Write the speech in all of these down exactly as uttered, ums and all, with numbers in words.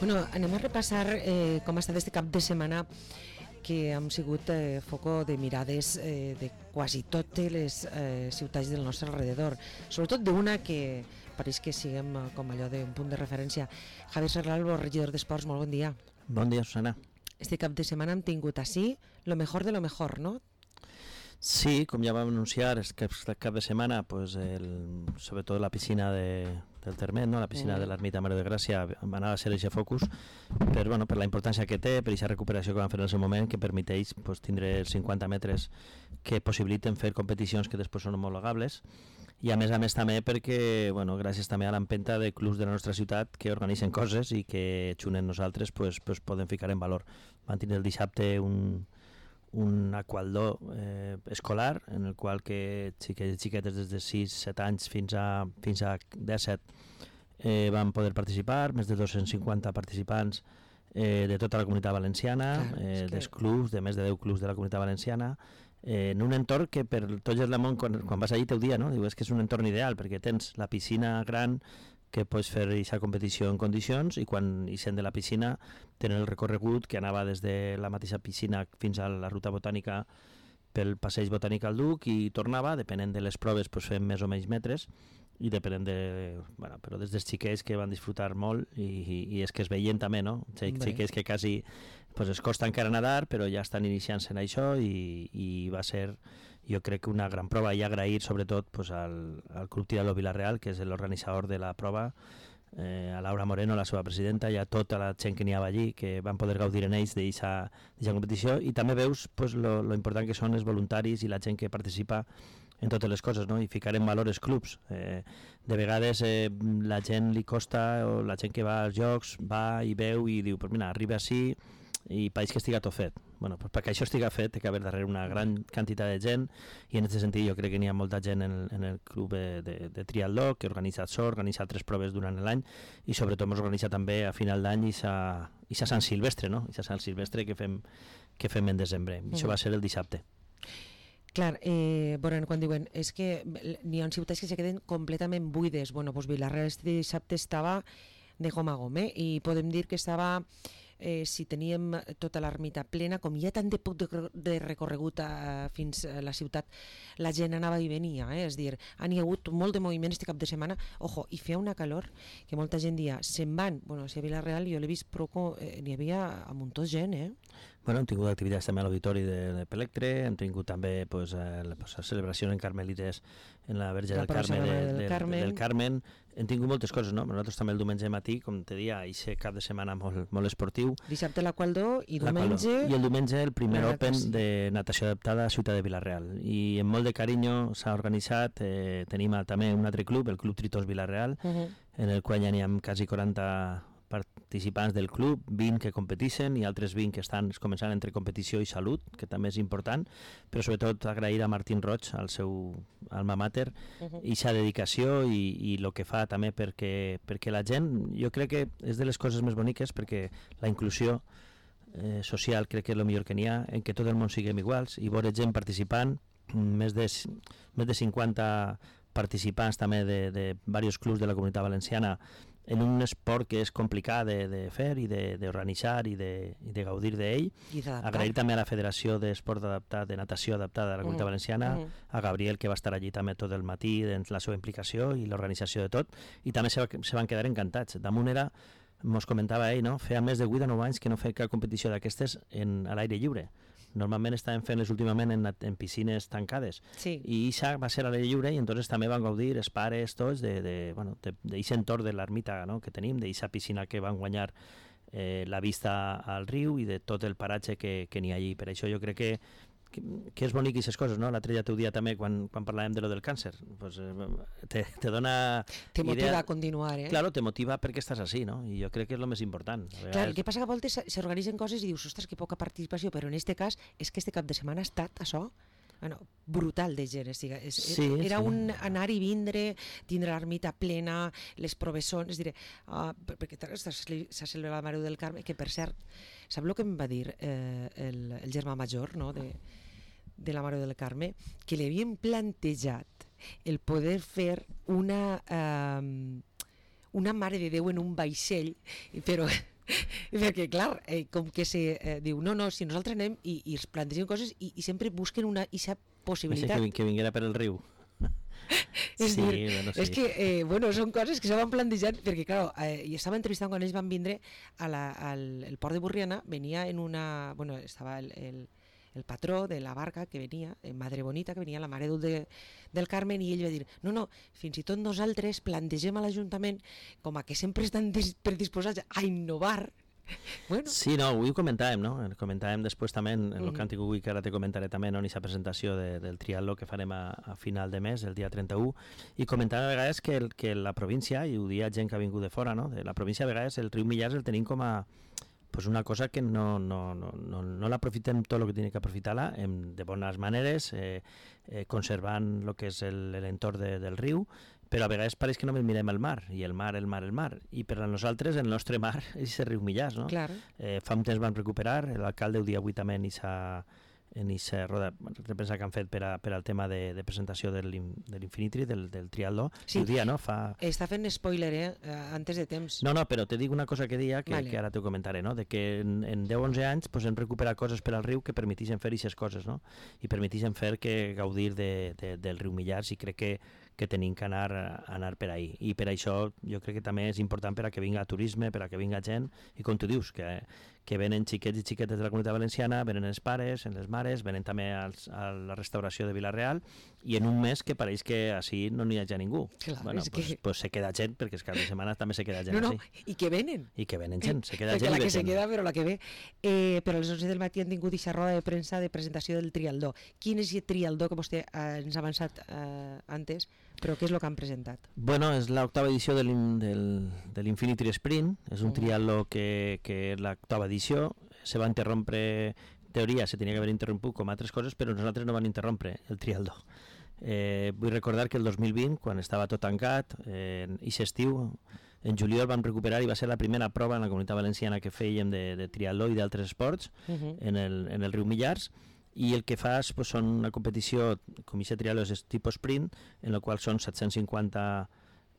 Bueno, anem a repassar eh, com ha estat este cap de setmana, que hem sigut eh, foco de mirades eh, de quasi totes les eh, ciutats del nostre alrededor, sobretot d'una que pareix que siguem eh, com allò d'un punt de referència. Javier Serralbo, regidor d'Esports, molt bon dia. Bon dia, Susana. Este cap de setmana hem tingut així lo mejor de lo mejor, no? Sí, com ja vam anunciar, és que aquest cap de setmana, pues el, sobretot la piscina de, del Termet, no? La piscina mm. de l'Ermita Mare de Gràcia va anar a ser aquest focus per, bueno, per la importància que té, per aquesta recuperació que van fer en el seu moment, que permeteix pues, tindre els cinquanta metres que possibiliten fer competicions que després són homologables, i a més a més també perquè, bueno, gràcies també a l'empenta de clubs de la nostra ciutat que organitzen coses i que xunen nosaltres pues, pues, poden ficar en valor. Van tenir el dissabte un un aqualdó eh, escolar en el qual que xiquets i xiquetes des de sis set anys fins a, fins a disset eh, van poder participar, més de dos-cents cinquanta participants eh, de tota la comunitat valenciana, eh, dels clubs, de més de deu clubs de la comunitat valenciana, eh, en un entorn que per tots els del món, quan, quan vas allí teu dia, no? Diu, és que és un entorn ideal perquè tens la piscina gran que pots fer aquesta competició en condicions, i quan hi sent de la piscina tenen el recorregut que anava des de la mateixa piscina fins a la ruta botànica pel passeig botànic al Duc i tornava, depenent de les proves pues, fem més o menys metres, i depenent de... Bueno, però des dels xiquets que van disfrutar molt i, i, i és que es veien també, no? Xiquets que quasi pues, es costa encara nedar, però ja estan iniciant-se en això i, i va ser, jo crec que una gran prova, i agrair sobretot pues, al, al Club Tirador Vila-real, que és l'organitzador de la prova, eh, a Laura Moreno, la seva presidenta, i a tota la gent que n'hi havia allí, que van poder gaudir en ells d'aquesta competició, i també veus pues, lo, lo important que són els voluntaris i la gent que participa en totes les coses, no? I ficar en valor els clubs. Eh, de vegades eh, la gent li costa, o la gent que va als jocs va i veu i diu, pues mira, arriba així i pareix que estiga tot fet. Bueno, pues perquè això estiga fet té que haver darrere una gran quantitat de gent, i en aquest sentit jo crec que n'hi ha molta gent en el, en el club de, de, de triatló que organitza això, organitza tres proves durant l'any, i sobretot ens organitza també a final d'any i sa Sant Silvestre, no? I sa Sant Silvestre que fem, que fem en desembre. Mm. Això va ser el dissabte. Clar, eh, bueno, quan diuen és que n'hi ha ciutats que se queden completament buides. Bueno, doncs Vila-real este dissabte estava de goma a goma, eh? I podem dir que estava, eh, si teníem tota l'ermita plena, com hi ha tant de poc de, de recorregut a, fins a la ciutat, la gent anava i venia, eh? És dir, han hi hagut molt de moviment este cap de setmana, ojo, i feia una calor que molta gent dia, se'n van, bueno, si a Vila-real jo l'he vist, però eh, n'hi havia a muntó gent, eh? Bueno, hem tingut activitats també a l'auditori de, de Pelectre, hem tingut també pues, eh, la, pues, la celebració en Carmelites en la Verge del Carme, de, del, del, Carmen. del Carmen. Hem tingut moltes coses, no? Nosaltres també el diumenge matí, com te dia, aquest cap de setmana molt, molt esportiu. Dissabte l'Aqualdó i diumenge... I el diumenge el primer Open de natació adaptada a Ciutat de Vila-real. I amb molt de carinyo s'ha organitzat, eh, tenim també un altre club, el Club Tritós Vila-real, uh -huh. en el qual ja n'hi ha quasi quaranta participants del club, vint que competeixen i altres vint que estan començant entre competició i salut, que també és important, però sobretot agrair a Martín Roig, al seu alma mater, uh-huh. i sa dedicació i, i el que fa també perquè, perquè la gent, jo crec que és de les coses més boniques, perquè la inclusió eh, social crec que és el millor que n'hi ha, en què tot el món siguem iguals, i veure gent participant, més de, més de cinquanta participants també de, de diversos clubs de la comunitat valenciana, en un esport que és complicat de, de fer i d'organitzar i, de, i de gaudir d'ell. Agrair també a la Federació d'Esport Adaptat, de Natació Adaptada de la Comunitat uh -huh. Valenciana, uh -huh. a Gabriel, que va estar allí també tot el matí en la seva implicació i l'organització de tot, i també se, va, se van quedar encantats. Damunt era, mos comentava ell, no? Feia més de vuit o nou anys que no feia cap competició d'aquestes a l'aire lliure. Normalment estaven fent-les últimament en, en piscines tancades, sí. I això va ser a l'aire lliure, i entonces també van gaudir els pares tots de, de, bueno, d'aquest entorn de l'ermita, no? Que tenim, d'aquesta piscina que van guanyar eh, la vista al riu i de tot el paratge que, que n'hi ha allí. Per això jo crec que Que, que és bonic aquestes coses, no? L'altre dia teu dia també, quan, quan parlàvem de lo del càncer, pues, eh, te, te dona... Te motiva idea... a continuar, eh? Claro, te motiva perquè estàs així, no? I jo crec que és el més important. Vegades... Clar, el que passa que a voltes s'organitzen coses i dius, ostres, que poca participació, però en este cas és que este cap de setmana ha estat això, bueno, brutal de gent, és, és, sí, era sí. un anar i vindre, tindre l'ermita plena, les provessons, diré, uh, perquè s'ha celebrat la Mare del Carme, que per cert, sap el que em va dir eh, el, el germà major, no?, de, de la Mare del Carme, que li havien plantejat el poder fer una... Eh, una Mare de Déu en un vaixell, però Perquè, clar, eh, com que se eh, diu, no, no, si nosaltres anem i, i es plantegem coses i, i sempre busquen una ixa possibilitat. Que, que vinguera per el riu. És, sí, dir, bueno, sí. és que, eh, bueno, són coses que se van plantejant, perquè, clar, eh, i estava entrevistant quan ells van vindre a la, al el port de Burriana, venia en una, bueno, estava el, el, el patró de la barca que venia, eh, Madre Bonita, que venia la Mare Dul de, del Carmen, i ell va dir, no, no, fins i tot nosaltres plantegem a l'Ajuntament com a que sempre estan predisposats a innovar. Bueno. Sí, no, avui ho comentàvem, no? Comentàvem després també en, en el càntic avui, que ara te comentaré també, no? En aquesta presentació de, del triatló que farem a, a final de mes, el dia trenta-u, i comentàvem a vegades que, el, que la província, i ho dia gent que ha vingut de fora, no? De la província a vegades el riu Millars el tenim com a pues una cosa que no, no, no, no, no l'aprofitem tot el que tiene que aprofitar-la de bones maneres, eh, eh, conservant el que és l'entorn de, del riu, però a vegades pareix que només mirem el mar, i el mar, el mar, el mar, i per a nosaltres el nostre mar és el riu Millars, no? Claro. Eh, fa un temps van recuperar, l'alcalde el dia avui també en aquesta en aquesta roda de premsa que han fet per, a, per al tema de, de presentació de l'Infinitri, del, del triatló, sí, i ho dia, no? Fa... Està fent spoiler, eh? Antes de temps. No, no, però te dic una cosa que dia, que, vale. que ara t'ho comentaré, no? De que en, en deu o onze anys pues, hem recuperat coses per al riu que permetixen fer aquestes coses, no? I permetixen fer que gaudir de, de, del riu Millars, i crec que que tenim que anar, anar per ahí. I per això jo crec que també és important per a que vinga turisme, per a que vinga gent, i com tu dius, que, que venen xiquets i xiquetes de la Comunitat Valenciana, venen els pares, les mares, venen també als, a la restauració de Vila-real, i en un mes que pareix que així no n'hi hagi ningú. Clar, bueno, pues, que... pues se queda gent, perquè és cap de setmana també se queda gent no, no, així. I que venen. I que venen gent, se queda perquè gent la i que se gent. queda, però la que ve. Eh, però a les onze del matí han tingut aquesta roda de premsa de presentació del trialdó. Quin és el trialdó que vostè eh, ens ha avançat eh, antes, però què és el que han presentat? Bueno, és l'octava edició de l'Infinity Sprint, és un uh-huh. triatló que, que és l'octava edició, se va interrompre, en teoria se tenia que haver interromput com altres coses, però nosaltres no van interrompre el triatló. Eh, vull recordar que el dos mil vint, quan estava tot tancat, eh, i estiu, en juliol vam recuperar i va ser la primera prova en la Comunitat Valenciana que fèiem de, de triatló i d'altres esports uh-huh. en, el, en el riu Millars, i el que fas pues, són una competició, com aquest triatló és tipus sprint, en la qual són set-cents cinquanta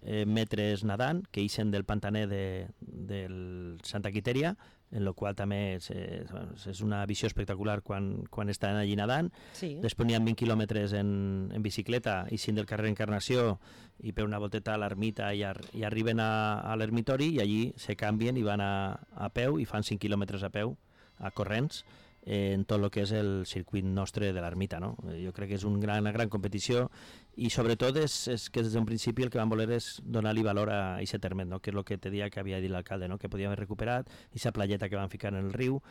eh, metres nedant, que ixen del pantaner de, del Santa Quiteria, en la qual també és, és una visió espectacular quan, quan estan allí nedant. Sí. Després n'hi ha vint quilòmetres en, en bicicleta, ixin del carrer Encarnació i per una volteta a l'ermita i, ar, i arriben a, a l'ermitori, i allí se canvien i van a, a peu i fan cinc quilòmetres a peu, a corrents, en tot el que és el circuit nostre de l'ermita, no? Jo crec que és un gran, una gran competició, i sobretot és, és que des d'un principi el que vam voler és donar-li valor a aquest terme, no? Que és el que te dia que havia dit l'alcalde, no? Que podíem haver recuperat aquesta playeta que van ficar en el riu,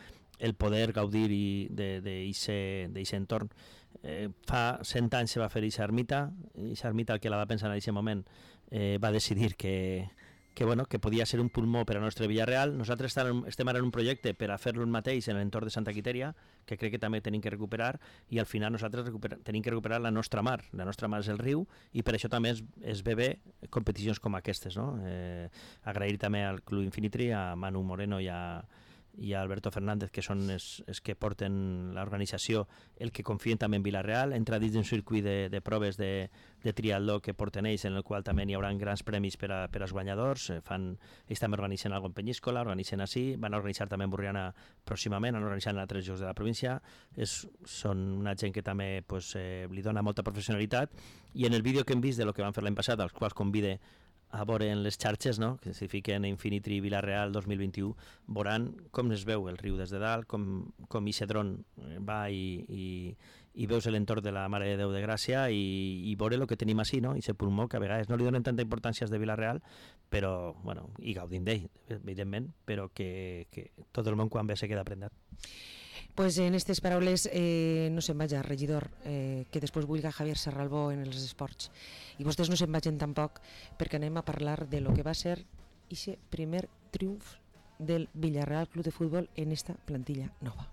el poder gaudir d'aquest entorn. Eh, fa cent anys se va fer aquesta ermita, aquesta ermita el que la va pensar en aquest moment eh, va decidir que que, bueno, que podia ser un pulmó per a nostre Vila-real. Nosaltres estem ara en un projecte per a fer-lo mateix en l'entorn de Santa Quiteria, que crec que també tenim que recuperar, i al final nosaltres tenim que recuperar la nostra mar. La nostra mar és el riu, i per això també es, es ve bé competicions com aquestes, no? Eh, agrair també al Club Infinitri, a Manu Moreno i a i a Alberto Fernández, que són els, els que porten l'organització, el que confien també en Vila-real, entra dins d'un circuit de, de proves de, de triatló que porten ells, en el qual també hi haurà grans premis per, a, per als guanyadors. Fan, ells també organitzen algo en Penyíscola, organitzen així, van organitzar també en Burriana pròximament, han organitzat en altres llocs de la província. És, són una gent que també pues, eh, li dona molta professionalitat, i en el vídeo que hem vist de lo que van fer l'any passat, als quals convide a veure en les xarxes, no? Que si fiquen Infinitri Vila-real dos mil vint-i-u, veuran com es veu el riu des de dalt, com, com aquest dron va i, i, i veus l'entorn de la Mare de Déu de Gràcia, i, i veure el que tenim així, no? I aquest pulmó que a vegades no li donen tanta importància als de Vila-real, però, bueno, i gaudim d'ell, evidentment, però que, que tot el món quan ve se queda prendat. Pues en aquestes paraules eh, no se'n vaja, regidor, eh, que després vulga Javier Serralbó en els esports. I vostès no se'n vagin tampoc, perquè anem a parlar de lo que va ser aquest primer triomf del Vila-real Club de Futbol en esta plantilla nova.